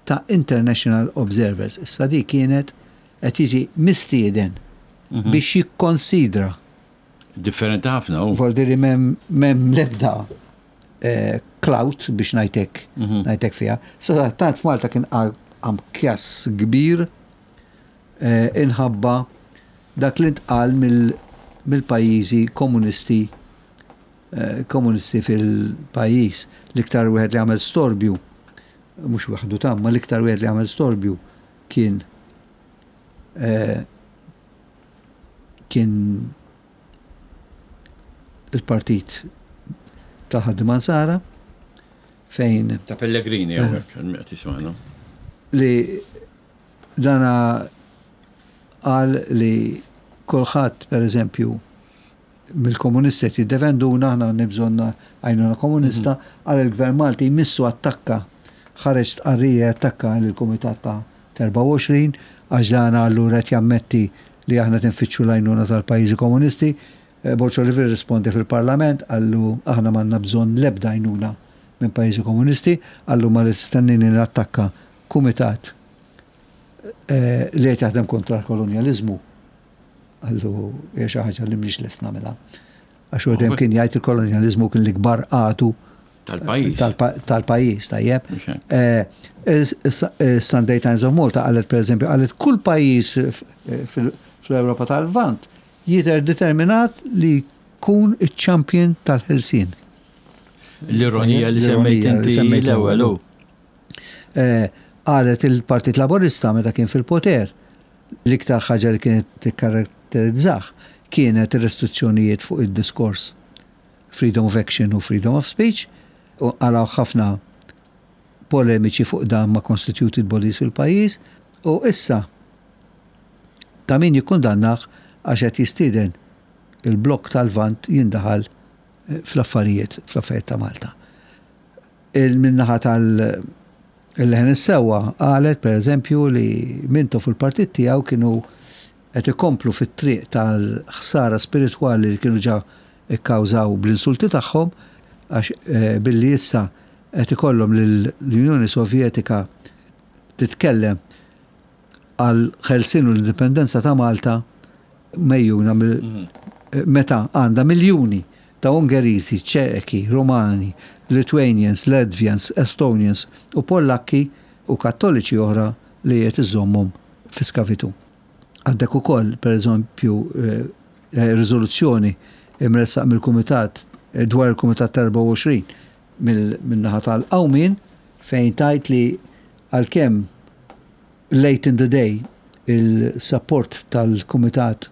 ta' international observers. Issa di kienet qed jiġi mistieden biex jikkonsidra. Differenti ħafna u. Voldi li m'hemm l-ebda clout biex ngħid hekk, ngħid hekk fiha. Sadattant f'Malta kien qam kjass kbir inħabba dak li ntqal mill-pajjiżi komunisti komunisti fil-pajjiż. L-iktar wieħed li għamel storbju, mhux waħdu ta' ma l-iktar wieħed li għamel storbju kien kien il-partit tal-ħaddiema Nsara fejn Ta' Pellegrini hawnhekk qed jismagħna. Li dana qal li kulħadd pereżempju mill-komunisti qed jiddefenduna, aħna għandna bżonn għajnuna komunista, qal il-Gvern Malti jmissu attakka, ħareġ stqarrija jattakka lill-Kumitat ta' 24 għax dan allura qed jammetti li aħna qed infittxu l-għajnuna tal-pajjiżi komunisti. Borg Olivier rrisponda fil-Parlament qallu aħna m'għandna bżonn l-ebda għajnuna minn pajjiżi komunisti, qallu ma li tistennini nattakka kumitat li qed jaħdem kontra l-kolonjaliżmu. Qallu hija xi ħaġa li m'iniex lest nagħmilha. Għax hu dejjem kien jgħid il-kolonjaliżmu kien l-ikbar għadu Tal-pajjiż. Tal-pajjiż, tajjeb. Sunday Times of Malta qalet pereżempju, qalet kull pajjiż fl-Ewropa tal-Lvant jidher determinat li jkun iċ-champion tal-ħelsien. L-ironija li semmejt inti l-ewwel. Qalet il-Partit Laburista meta kien fil-poter, l-iktar ħaġa li kienet tikkaratterizzah kienet ir-restrizzjonijiet fuq id-diskors freedom of action u freedom of speech, u qalgħu ħafna polemiċi fuq dan ma' constituted bodies fil-pajjiż, u issa ta' min jikkundannah għax qed jistieden il-blokk tal-Lvant jindaħal fl-affarijiet fl-affarijiet ta' Malta. Min-naħa tal-Leħen is-Sewwa qalet pereżempju li Mintoff u l-partit tiegħu kienu qed ikomplu fit-triq tal-ħsara spiritwali li kienu ġa kkawżaw bl-insulti tagħhom għax billi issa qed ikollhom lill-Unjoni Sovjetika titkellem għall-ħelsien u l-indipendenza ta' Malta mejjuna meta għandha miljuni ta' Ungeriżi, Ċeki, Rumani, Lithuanians, Latvians, Estonians u Pollakki u Kattoliċi oħra li qed iżżommhom fi skavitù. Għandek ukoll, pereżempju, riżoluzzjoni imressaq mill-Kumitat dwar il-Kumitat 24 min-naħa tal-Qawmien fejn tgħid li għalkemm late in the day il-support tal-Kumitat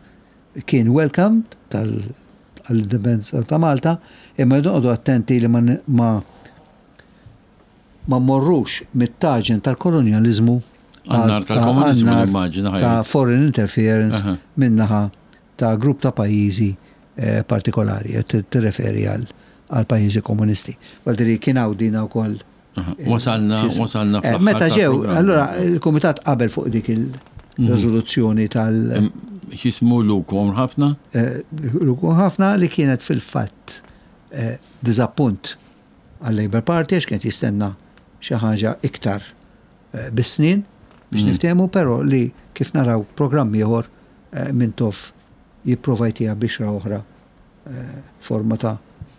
kien welcome tal-indipendenza ta' Malta, imma noqogħdu attenti li ma ma mmorrux mit-taġen tal-kolonjaliżmu għan-nar tal-komuniżmu nimmaġina ta' foreign interference min-naħa ta' grupp ta' pajjiżi partikolari, qed tirreferi għal pajjiżi komunisti. Għal kien hawn dina wkoll. Wasalna, wasalna fl Meta ġew, allura il-Kumitat qabel fuq dik il-riżoluzzjoni tal- X'ismu lukom ħafna? Lukom ħafna li kienet fil-fatt diżappunt għal-Labour Party għax kienet jistenna xi ħaġa iktar bis-snin biex niftehmu, però li kif naraw programm ieħor Mintoff jipprova jtiha bixra oħra forma ta'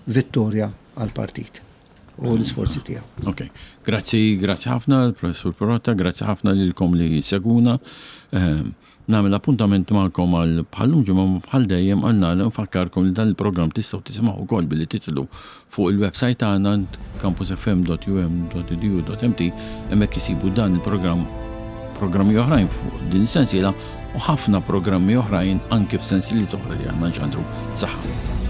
vittorja għall-partit u l-isforzi tiegħu. Ok, grazzi, grazzi ħafna l-Professur Pirotta, grazzi ħafna lilkom li seguna. Ehm, nagħmel appuntament magħkom għal bħallum ġimgħa bħal dejjem għal nagħlaq nfakkarkom li dan il-programm tistgħu tisimgħu wkoll billi titlu fuq il-website tagħna campusfm.um.edu.mt hemmhekk isibu dan il-programm. programmi oħrajn fuq din sensiela u ħafna programmi oħrajn anke f'sensiliet oħra li aħna nxandru. Saħħa.